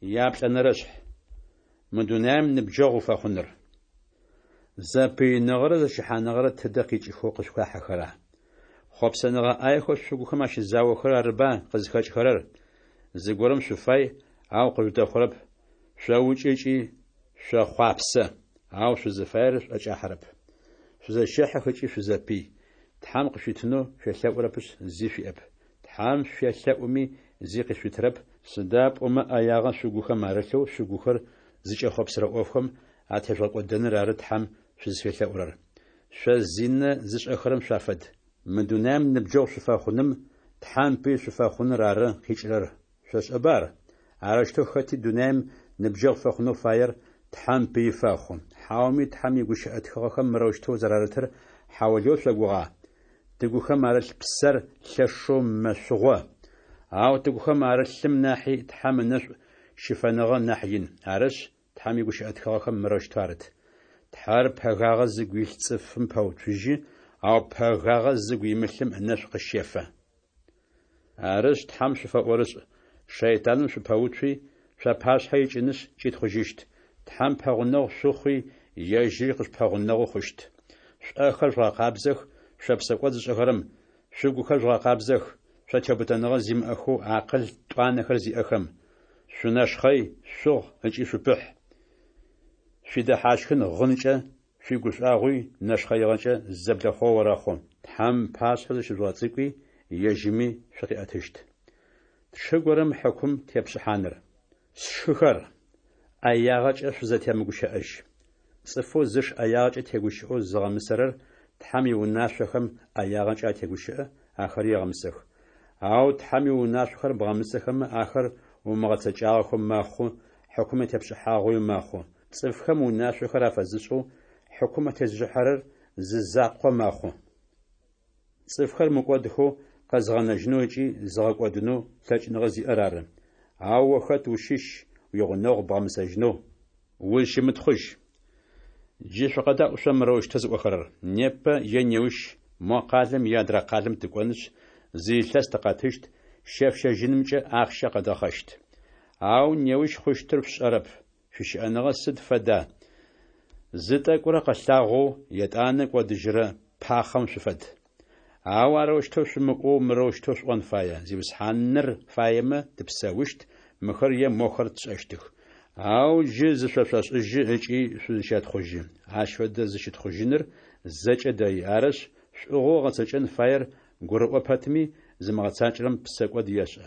Яплӏэнэрэшъхь. Мы дунаим ныбджэгъу уфэхъуныр. Зэпыиныгъэрэ зэщыхьаныгъэрэ тыдэ къикӏыхэу къышъухахьэхэра? Хъопсэныгъэ ӏаехэу шъугухэм ащызаохэрэр арыба къызхэкӏхэрэр? Зыгорэм шъуфай, ау къыжъудэхъурэп, шъоукӏы ыкӏи шъохъуапсэ, ау шъузыфаер шъуӏэкӏахьэрэп. Шъузэщэхьых ыкӏи шъузэпый. Тхьэм къышъуитынэу шъуелъэӏурэпышъ, зи шъуиӏэп. Тхьэм шъуелъэӏуми, зи къышъуитырэп, сыда пӏомэ ӏэягъэ шъугухэм арылъэу шъугухэр зыкӏэхъопсырэ ӏофхэм атежъугъэкӏодэныр ары Тхьэм шъузфелъэӏурэр. Шъо зинэ зышӏэхэрэм шъуафэд. Мы дунаим ныбджэгъу шъуфэхъуным Тхьэм пый шъуфэхъуныр ары къикӏырэр, шъошӏэба ар? Арэущтэу хэти дунаим ныбджэгъу фэхъунэу фаер Тхьэм пыи фэхъу. Хьауми Тхьэм игущыӏэ тхыгъэхэм мырэущтэу зэрарытыр хьаулыеу шъогугъа? Тыгухэм арылъ псэр лъэшэу мэшъугъо. Ау тыгухэм арылъым нахьи Тхьэм ынэшӏу щыфэныгъэ нахь ин. Арышъ, Тхьэм игущыӏэ тхыгъэхэм мырэущтэу арыт: Тхьэр пэгагъэ зыгу илъ цӏыфым пэуцужьы, ау пэгагъэ зыгу имылъым ынэшӏу къыщефэ. Арышъ, Тхьэм шъуфэӏорышӏ, шэйтаным шъупэуцуи, шъуапашъхьэ икӏынышъ кӏитхъужьыщт. Тхьэм пэгъунэгъу шъухъуи, ежьыри къышъупэгъунэгъу хъущт. Шъуӏэхэр жъугъэкъабзэх, шъо псэкӏод зышӏэхэрэм, шъугухэр жъугъэкъабзэх, шъо теубытэныгъэ зимыӏэхэу акъыл тӏуанэхэр зиӏэхэм. Шъунэшхъэй, шъугъ ыкӏи шъупыхь. Шъуидэхьащхын гъынкӏэ, шъуигушӏуагъуи нэшхъэигъэкӏэ зэблэхъугъэ орэхъу. Тхьэм ыпашъхьэ зыщыжъугъэцӏыкӏуи, ежьыми шъукъиӏэтыщт. Тшы горэм хьыкум тепшӏыхьаныр. Сшыхэр, ӏэягъэкӏэ шъузэтемыгущыӏэжь. Цӏыфэу зыш ӏэягъэкӏэ тегущыӏэу зыгъэмысэрэр Тхьэм иунашъохэм ӏэягъэкӏэ атегущыӏэ, ахэри егъэмысэх. Ау Тхьэм иунашъохэр бгъэмысэхэмэ, ахэр умыгъэцэкӏагъэхэу мэхъу, хьыкум атепшӏыхьагъэуи мэхъу. Цӏыфхэм унашъохэр афэзышӏэу, хьыкум атезышӏыхьэрэр зы закъо мэхъу. Цӏыфхэр мыкӏодхэу къэзыгъэнэжьынэу ыкӏи зыгъэкӏодынэу лъэкӏыныгъэ зиӏэр ары. Ау о хэт ущыщ уигъунэгъу бгъэмысэжьынэу? Узщымытхъужь. Джы шъукъэдаӏу шъо мырэущтэу зыӏохэрэр: Непэ е неущ мо къалэм е адрэ къалэм тыкӏонышъ, зы илъэс тыкъэтыщт, щэф-щэжьынымкӏэ ахъщэ къэдгъэхъэщт. Ау неущ хъущтыр шъушӏэрэп. Шъуищыӏэныгъэ сыд фэда? Зы тӏэкӏурэ къэлъагъоу, етӏанэ кӏодыжьырэ пахъэм шъуфэд. Ау арэущтэу шъумыӏоу мырэущтэу шъуӏон фае: Зиусхьаныр фаемэ, тыпсэущт, мыхэр е мохэр тшӏэщтых. Ау джы зышъошӏошӏыжьы ыкӏи шъузыщэтхъужьы. Ащ фэдэ зыщытхъужьыныр зэкӏэ дэи. Арышъ, шӏугъэу ыгъэцэкӏэн фаер гурыӏо пэтми, зымыгъэцакӏэрэм псэкӏод ешӏэ.